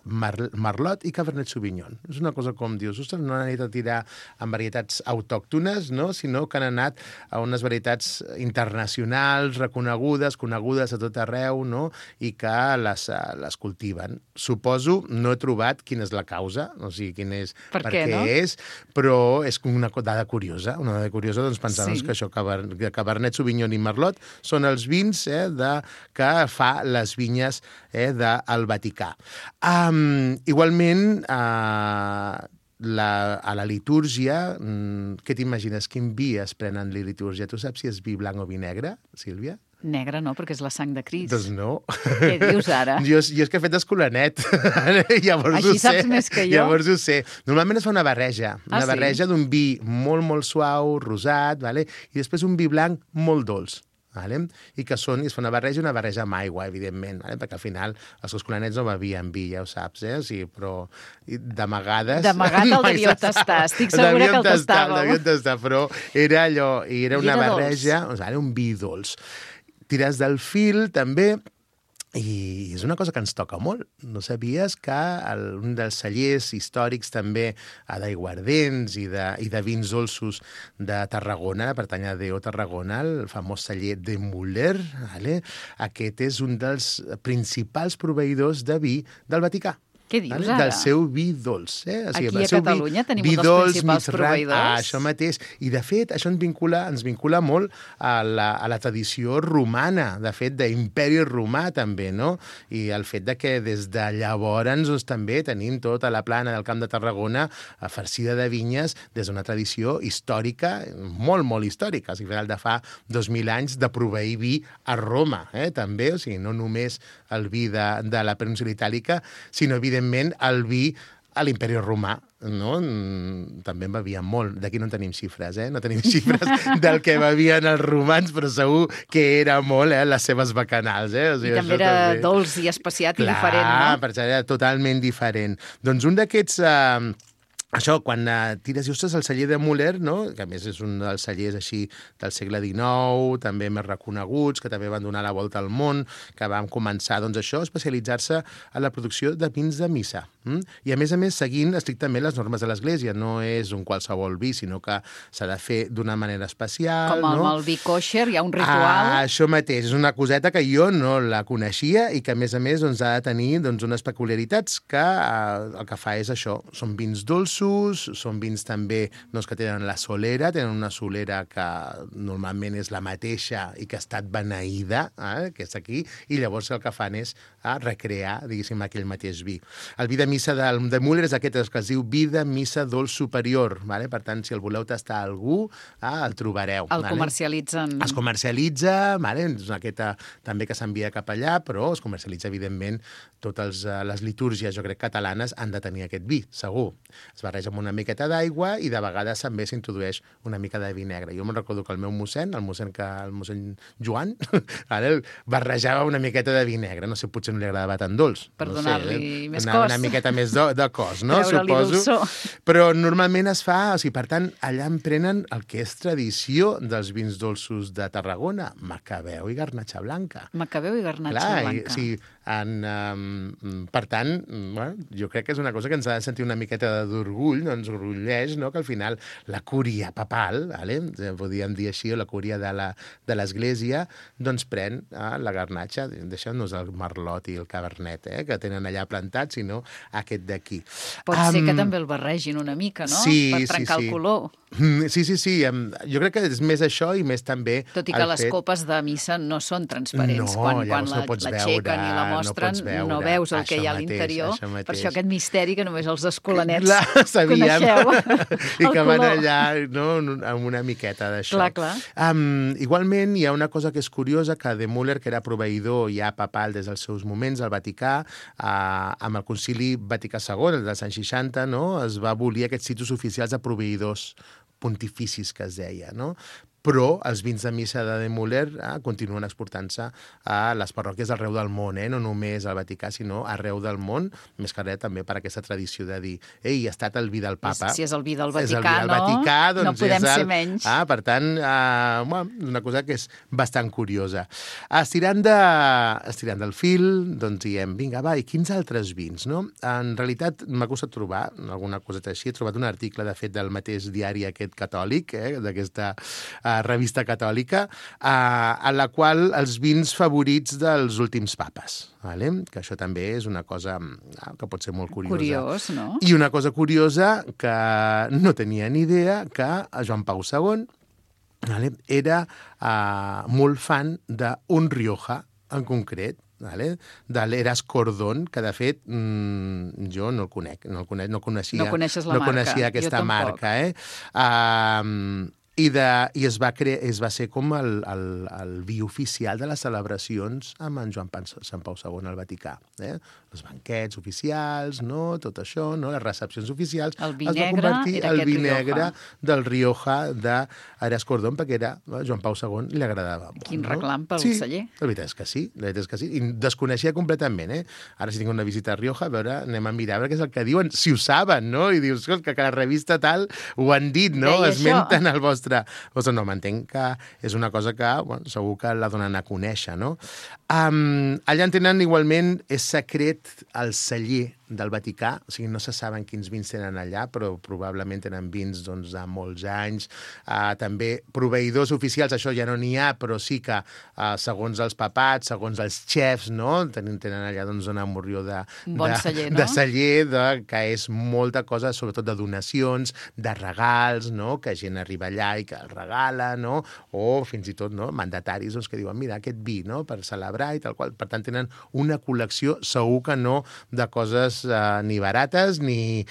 G: Merlot i Cabernet Sauvignon. És una cosa com dius, ostres, no han anat a tirar en varietats autòctones, no? Sinó que han anat a unes varietats internacionals, conegudes a tot arreu, no? I que les cultiven. Suposo, no he trobat quina és la causa, o sigui, per què és, però és una dada curiosa. curiosa, doncs pensar que això, Cabernet Sauvignon i Merlot, són els vins que fa les vinyes del Vaticà. Igualment, a la litúrgia, què t'imagines? Quin vi es pren en la litúrgia? Tu saps si és vi blanc o vi negre, Sílvia?
B: Negre no, perquè és la sang de Crist.
G: Doncs no.
B: Què dius ara?
G: Jo és que he fet escolanet.
B: Així saps més que jo?
G: Llavors ho sé. Normalment es fa una barreja. Una barreja d'un vi molt, molt suau, rosat, i després un vi blanc molt dolç. I que es fa una barreja amb aigua, evidentment, perquè al final els escolanets no bevien vi, ja ho saps, però d'amagades...
B: D'amagat el devíeu tastar, estic segura que el tastàveu.
G: El devíem tastar, però era allò, era una barreja, un vi dolç. Tires del fil, també, i és una cosa que ens toca molt. No sabies que un dels cellers històrics també d'aiguardents i de vins dolços de Tarragona, pertany a D.O. Tarragona, el famós celler de Müller, aquest és un dels principals proveïdors de vi del Vaticà.
B: Què dius ara?
G: Del seu vi dolç.
B: Aquí a Catalunya tenim un dels principals proveïdors.
G: Això mateix. I, de fet, això ens vincula molt a la tradició romana, de fet, d'imperi romà, també, no? I el fet que des de llavors també tenim tota la plana del Camp de Tarragona farcida de vinyes des d'una tradició històrica, molt, molt històrica, de fa 2.000 anys de proveir vi a Roma, també, o sigui, no només el vi de la península itàlica, sinó, evidentment, el vi a l'imperi romà, no? També en bevien molt. D'aquí no en tenim xifres, No tenim xifres del que bevien els romans, però segur que era molt, les seves bacanals, O sigui,
B: I també era dolç i especiat i diferent, no?
G: Clar, perquè era totalment diferent. Doncs un d'aquests... Això, quan tires i ostres el celler de Müller, no? Que a més és un dels cellers així del segle XIX, també més reconeguts, que també van donar la volta al món, que van començar, doncs això, a especialitzar-se en la producció de vins de missa. I a més, seguint estrictament les normes de l'Església. No és un qualsevol vi, sinó que s'ha de fer d'una manera especial.
B: Com amb el vi kosher, hi ha un ritual.
G: Això mateix, és una coseta que jo no la coneixia i que, a més, ha de tenir unes peculiaritats que el que fa és això, són vins dolços, són vins també que tenen la solera, tenen una solera que normalment és la mateixa i que ha estat beneïda, que és aquí, i llavors el que fan és recrear, diguéssim, aquell mateix vi. El vi de missa de Müller és aquest que es diu vi de missa dolç superior, per tant, si el voleu tastar a algú, el trobareu.
B: El comercialitzen.
G: Es comercialitza, és aquest també que s'envia cap allà, però es comercialitza, evidentment, totes les litúrgies, jo crec, catalanes han de tenir aquest vi, segur. Es barreja amb una miqueta d'aigua i de vegades també s'introdueix una mica de vi negre. Jo me'n recordo que el meu mossèn, el mossèn Joan, ara barrejava una miqueta de vi negre. No sé, potser no li agradava tan dolç.
B: Per donar-li més
G: cos. Una miqueta més de cos, no? Suposo. Però normalment es fa, per tant, allà en prenen el que és tradició dels vins dolços de Tarragona, Macabeu i Garnatxa Blanca.
B: Macabeu i Garnatxa Blanca.
G: Sí, per tant, jo crec que és una cosa que ens ha de sentir una miqueta d'orgull, no ens orgulleix, no? Que al final la cúria papal, podríem dir així, o la cúria de l'Església, doncs pren la garnatxa, deixant-nos el merlot i el cabernet, que tenen allà plantats, sinó aquest d'aquí.
B: Pot ser que també el barregin una mica, no?
G: Sí,
B: per trencar el color.
G: Sí. Jo crec que és més això i més també...
B: Tot i que les copes de missa no són transparents. Quan l'aixequen i la mostren, no veus el que hi ha a l'interior. Per això aquest misteri que només els escolanets coneixeu.
G: I que van allà amb una miqueta d'això.
B: Clar.
G: Igualment, hi ha una cosa que és curiosa, que de Müller, que era proveïdor ja papal des dels seus moments al Vaticà, amb el Concili Vaticà II, el dels anys 60, es va abolir aquests títols oficials de proveïdors pontificis, que es deia, no? Però els vins de missa de Müller continuen exportant-se a les parròquies d'arreu del món, no només al Vaticà, sinó arreu del món, més que res també per aquesta tradició de dir, ei, ha estat el vi del papa.
B: Si és el vi del Vaticà, no podem ser menys.
G: Per tant, una cosa que és bastant curiosa. Estirant del fil, doncs diem, vinga, i quins altres vins, no? En realitat, m'ha costat trobar alguna coseta així. He trobat un article, de fet, del mateix diari aquest catòlic, d'aquesta revista catòlica, en la qual els vins favorits dels últims papes. Vale? Que això també és una cosa que pot ser molt curiosa.
B: Curiós, no?
G: I una cosa curiosa que no tenia ni idea, que Joan Pau II era molt fan d'un Rioja en concret, de l'Eras Cordón, que de fet jo no el conec, no coneixia,
B: no coneixes la marca.
G: No coneixia aquesta marca. I es va ser com el vi oficial de les celebracions amb en Sant Pau II al Vaticà. Els banquets oficials, no? Tot això, no? Les recepcions oficials.
B: El vi negre era
G: el vi negre del Rioja d'Eras Cordón, perquè Joan Pau II li agradava molt.
B: Quin reclam pel celler.
G: La veritat és que sí. I desconeixia completament. Ara, si tinc una visita a Rioja, a veure, anem a mirar què és el que diuen, si ho saben, no? I dius que la revista tal ho han dit, no? Esmenten el vostre... No, m'entenc que és una cosa que segur que la donen a conèixer, no? Allà en tenen igualment, és secret el celler del Vaticà, o sigui, no se saben quins vins tenen allà, però probablement tenen vins de molts anys. També proveïdors oficials, això ja no n'hi ha, però sí que segons els papats, segons els xefs, no? Tenen allà una morrió de
B: celler, no?
G: De celler, que és molta cosa, sobretot de donacions, de regals, no? Que gent arriba allà i que el regala, no? O fins i tot mandataris que diuen, mira, aquest vi, no? Per celebrar i tal qual. Per tant, tenen una col·lecció segur que no de coses ni barates ni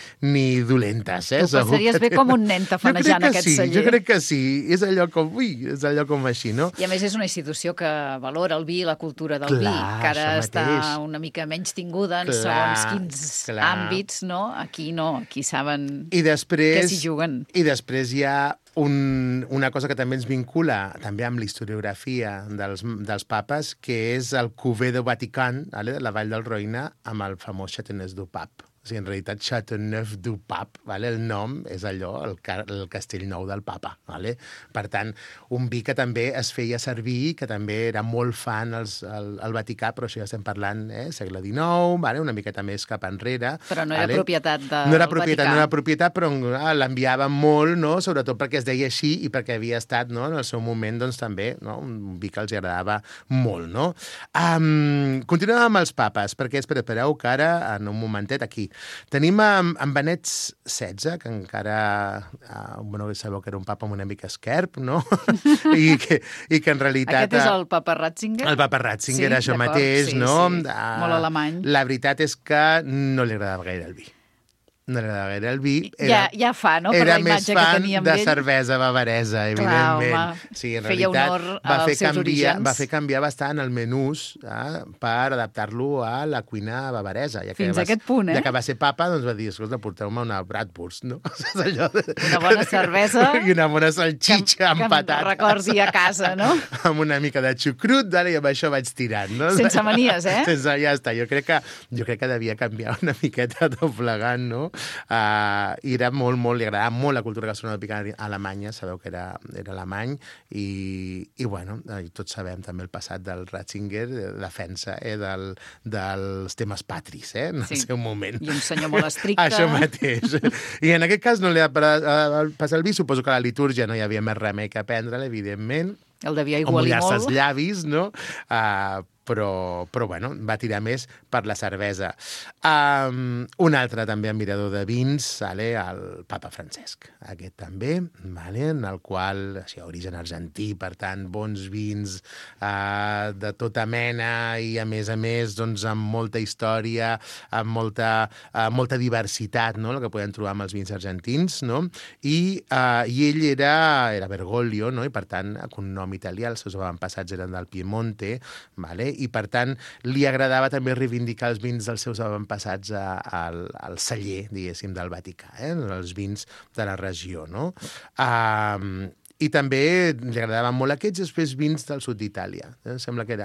G: dolentes.
B: Tu passaries bé com un nen tafanejant aquest celler.
G: Jo crec que sí. És allò com així, no?
B: I a més és una institució que valora el vi i la cultura del vi, que ara està una mica menys tinguda en segons quins àmbits, no? Aquí no, aquí saben que s'hi juguen.
G: I després hi ha una cosa que també ens vincula també amb la historiografia dels papes, que és el Cuvée de Vatican, de la Vall del Roine, amb el famós Châteauneuf du Pape. O sigui, en realitat, Châteauneuf du Pape, el nom és allò, el castell nou del papa. Per tant, un vi que també es feia servir, que també era molt fan al Vaticà, però això ja estem parlant segle XIX, una miqueta més cap enrere.
B: Però no era propietat del Vaticà.
G: No era propietat, però l'enviaven molt, no? Sobretot perquè es deia així i perquè havia estat, no? En el seu moment, doncs, també, un vi que els agradava molt, no? Continuem amb els papes, perquè espereu que ara, en un momentet, aquí, tenim en Benet XVI, que encara, sabeu que era un papa amb una mica esquerp, no? I que en realitat...
B: Aquest és el papa Ratzinger?
G: El papa Ratzinger, això mateix, no?
B: Molt alemany.
G: La veritat és que no li agradava gaire el vi. No li agradava gaire el vi.
B: Ja fa, no? Per la imatge que tenia amb ell.
G: Era més fan de cervesa bavaresa, evidentment.
B: Clar,
G: sí, en realitat va fer canviar bastant el menús per adaptar-lo a la cuina bavaresa.
B: Fins a aquest punt,
G: Ja que va ser papa, doncs va dir, escolta, porteu-me una bratwurst, no?
B: Una bona cervesa.
G: I una bona salxitxa amb patates.
B: Que em recordi a casa, no?
G: Amb una mica de xucrut, i amb això vaig tirant, no?
B: Sense manies,
G: Sense, ja està. Jo crec que devia canviar una miqueta tot plegant, no? I era molt, li agradava molt la cultura gastronòmica a Alemanya, sabeu que era alemany, i bueno, tots sabem també el passat del Ratzinger, defensa dels temes patris, en el seu moment.
B: I un senyor molt estricte.
G: Això mateix. I en aquest cas no li ha passat el vi, suposo que a la litúrgia no hi havia més remei que prendre-la, evidentment.
B: El devia igualir molt.
G: O mullar-se els llavis, no? Però bueno, va tirar més per la cervesa. Un altre també admirador de vins, el papa Francesc. Aquest també, en el qual, origen argentí, per tant, bons vins de tota mena i, a més, doncs, amb molta història, amb molta diversitat, no?, el que podem trobar amb els vins argentins, no? I ell era Bergoglio, no?, i, per tant, con nom italià, els seus avantpassats eren del Piemonte, i, per tant, li agradava també reivindicar els vins dels seus avantpassats al celler, diguéssim, del Vaticà, els vins de la regió, no? I també li agradaven molt aquests, després vins del sud d'Itàlia. Sembla que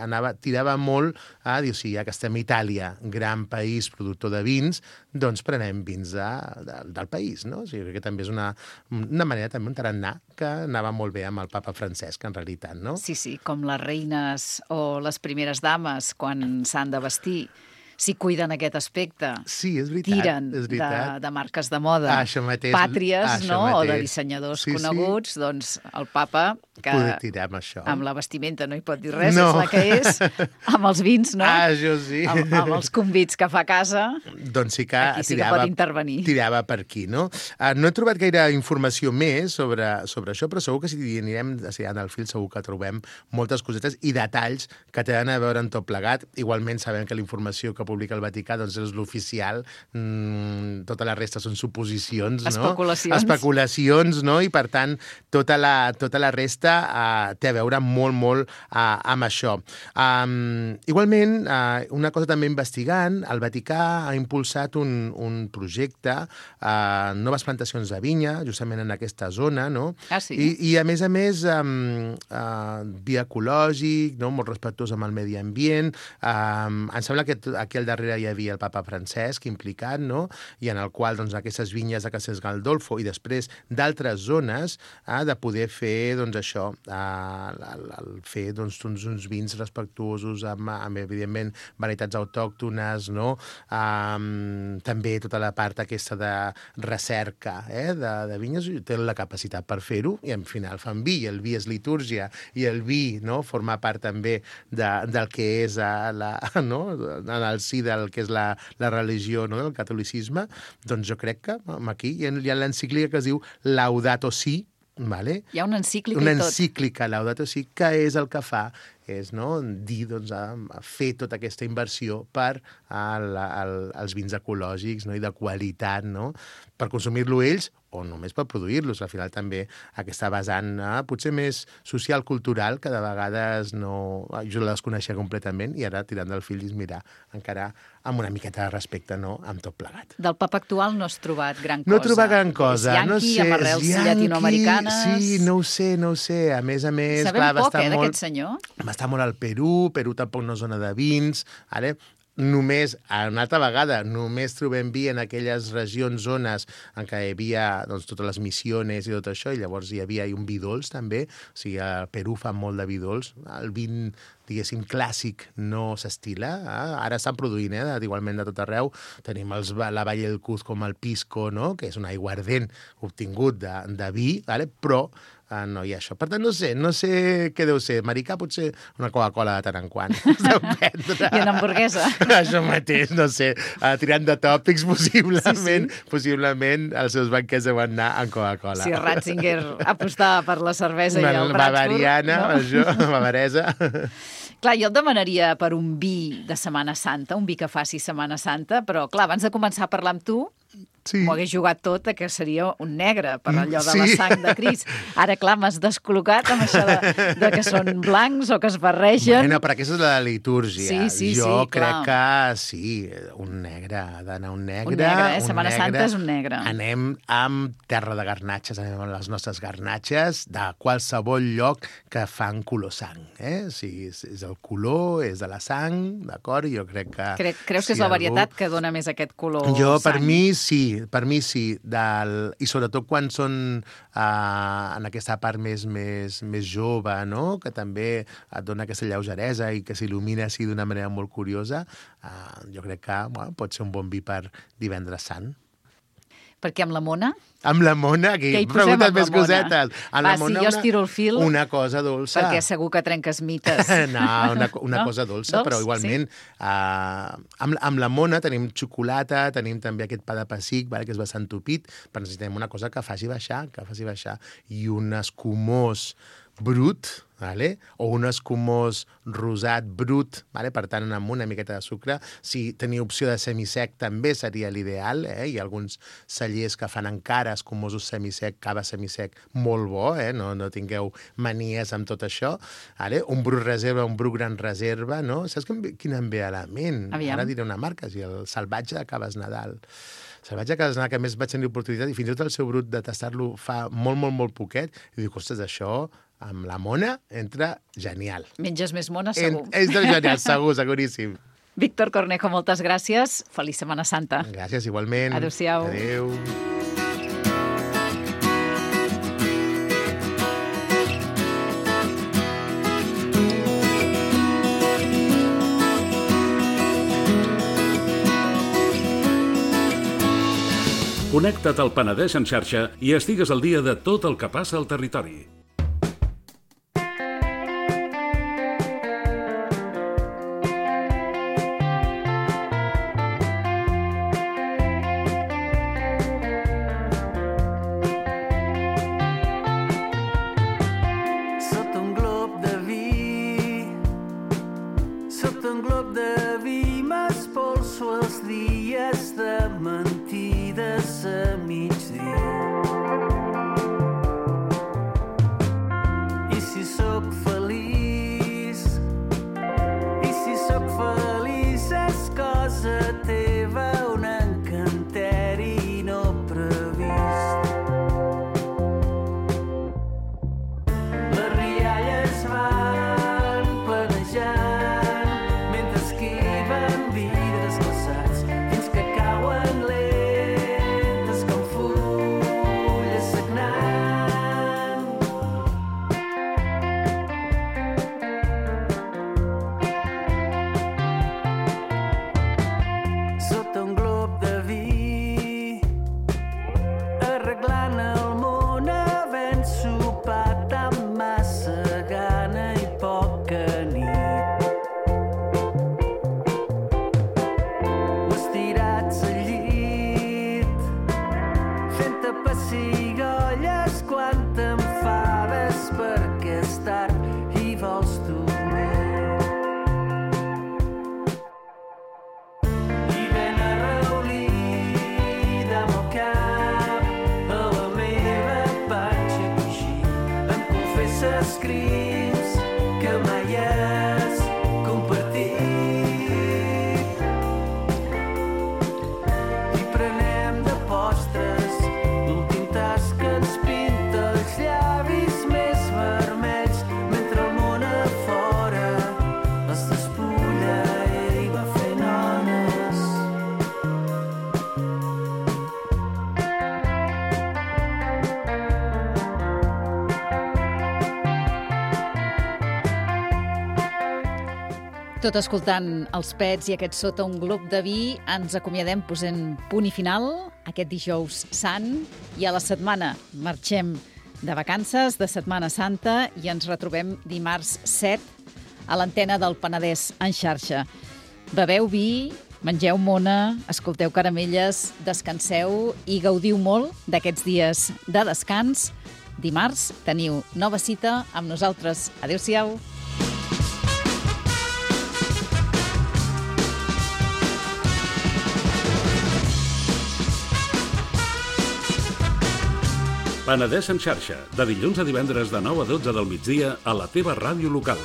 G: tirava molt a dir, ja que estem a Itàlia, gran país productor de vins, doncs prenem vins del país, no? O sigui, crec que també és una manera, també un tarannà, que anava molt bé amb el papa Francesc, en realitat, no?
B: Sí, com les reines o les primeres dames, quan s'han de vestir, si cuiden aquest aspecte.
G: Sí, és veritat.
B: Tiren
G: és veritat.
B: de marques de moda
G: Això mateix,
B: pàtries,
G: això
B: no?
G: mateix.
B: O de dissenyadors coneguts, doncs el papa, que
G: Poder tirar amb això.
B: amb la vestimenta no hi pot dir res,
G: No.
B: és la que és, amb els vins, no?
G: Això sí.
B: Amb els convits que fa a casa,
G: Doncs sí que
B: aquí sí que pot intervenir.
G: tirava per aquí, no? No he trobat gaire informació més sobre això, però segur que si anirem en el fil segur que trobem moltes cosetes i detalls que tenen a veure amb tot plegat. Igualment sabem que la informació que publica el Vaticà doncs és l'oficial, tota la resta són suposicions, no? Especulacions, no? I per tant, tota la resta té a veure molt amb això. Igualment, una cosa també investigant, el Vaticà ha impulsat un projecte, noves plantacions de vinya, justament en aquesta zona, no?
B: Sí?
G: I a més, via ecològic, no? Molt respectuós amb el medi ambient. Em sembla que aquí al darrere hi havia el papa Francesc implicat, no? I en el qual doncs, aquestes vinyes de Castel Gandolfo i després d'altres zones de poder fer doncs, això, fer doncs, uns vins respectuosos amb evidentment, varietats autòctones, no? També tota la part aquesta de recerca de vinyes, té la capacitat per fer-ho i al final fan vi, i el vi és litúrgia i el vi, no? Forma part també del que és no? En el si del que és la religió, no? Del catolicisme. Doncs jo crec que aquí hi ha l'encíclica que es diu Laudato Si, vale?
B: Hi ha una encíclica
G: una
B: i tot.
G: encíclica Laudato Si, que és el que fa és dir, doncs, a fer tota aquesta inversió per als vins ecològics, no? I de qualitat, no? Per consumir-lo ells o només per produir-los. Al final també aquesta vessant potser més social-cultural que de vegades no... Jo la desconeixia completament i ara tirant del fil i mirar encara amb una miqueta de respecte, no? Amb tot plegat.
B: Del papa actual no has trobat gran cosa.
G: No he trobat gran cosa.
B: És yanqui, amb arrels llatinoamericanes...
G: Sí, no ho sé. A més,
B: sabem
G: clar,
B: poc, d'aquest senyor.
G: Va estar molt al Perú tampoc no és zona de vins, ara... Només, una altra vegada, només trobem vi en aquelles regions, zones en què hi havia doncs, totes les missiones i tot això, i llavors hi havia un vi dolç també, o sigui, al Perú fan molt de vi dolç, el vin diguéssim, clàssic no s'estila. Ara estan produint, igualment de tot arreu. Tenim la Valle del Cuz com el Pisco, no? Que és un aiguardent obtingut de vi, però no hi ha això. Per tant, no sé què deu ser. Americà potser una Coca-Cola de tant en quant.
B: I una hamburguesa.
G: Això mateix, no sé. Tirant de tòpics, possiblement els seus banquers deuen anar amb Coca-Cola.
B: Si Ratzinger apostava per la cervesa i el Bratsburg...
G: Bavariana, no? Això, bavaresa...
B: Clar, jo et demanaria per un vi de Setmana Santa, un vi que faci Setmana Santa, però, clar, abans de començar a parlar amb tu, m'ho hagués jugat tot que seria un negre per allò de la sang de Crist. Ara, clar, m'has descol·locat amb això de que són blancs o que es barregen.
G: Bueno, però aquesta és la litúrgia.
B: Sí,
G: jo crec
B: clar.
G: que sí, un negre, ha d'anar un negre.
B: Un negre, Setmana Santa és un negre.
G: Anem amb terra de garnatxes, anem amb les nostres garnatxes de qualsevol lloc que fan color sang. Si és el color, és de la sang, d'acord? Jo crec que...
B: Creus que és la varietat que dona més aquest color
G: jo,
B: sang?
G: Per mi sí, i sobretot quan són en aquesta part més jove, no? Que també et dona aquesta lleugeresa i que s'il·lumina així d'una manera molt curiosa, jo crec que pot ser un bon vi per Divendres Sant.
B: Perquè amb la Mona?
G: Amb la Mona, aquí preguntes més cosetes.
B: Si jo estiro el fil...
G: Una cosa dolça.
B: Perquè segur que trenques mites.
G: No, una cosa dolça, però igualment amb la Mona tenim xocolata, tenim també aquest pa de pessic, que és bastant tupit, però necessitem una cosa que faci baixar, i un escumós brut, o un escumós rosat brut, per tant, amb una miqueta de sucre. Si teniu opció de semisec també seria l'ideal. Hi ha alguns cellers que fan encara escumosos semisec, cava semisec molt bo, no tingueu manies amb tot això. Un brut reserva, un brut gran reserva, no? Saps quin em ve a la ment?
B: Aviam.
G: Ara diré una marca, el Salvatge de Caves Nadal. Salvatge de Caves Nadal, que a més vaig tenir l'oportunitat, i fins i tot el seu brut de tastar-lo fa molt poquet, i dic, ostres, això amb la Mona entra genial.
B: Menges més Mona, segur.
G: Entra genial, seguríssim.
B: Víctor Cornejo, moltes gràcies. Feliç Setmana Santa.
G: Gràcies, igualment.
B: Adéu-siau.
G: Adéu.
H: Connecta't al Penedès en xarxa i estigues al dia de tot el que passa al territori.
B: Tot escoltant els Pets i aquest Sota un glop de vi, ens acomiadem posant punt i final aquest dijous sant i a la setmana marxem de vacances, de Setmana Santa, i ens retrobem dimarts 7 a l'antena del Penedès en xarxa. Beveu vi, mengeu mona, escolteu caramelles, descanseu i gaudiu molt d'aquests dies de descans. Dimarts teniu nova cita amb nosaltres. Adéu-siau.
H: Penedès en xarxa, de dilluns a divendres de 9 a 12 del migdia a la teva ràdio local.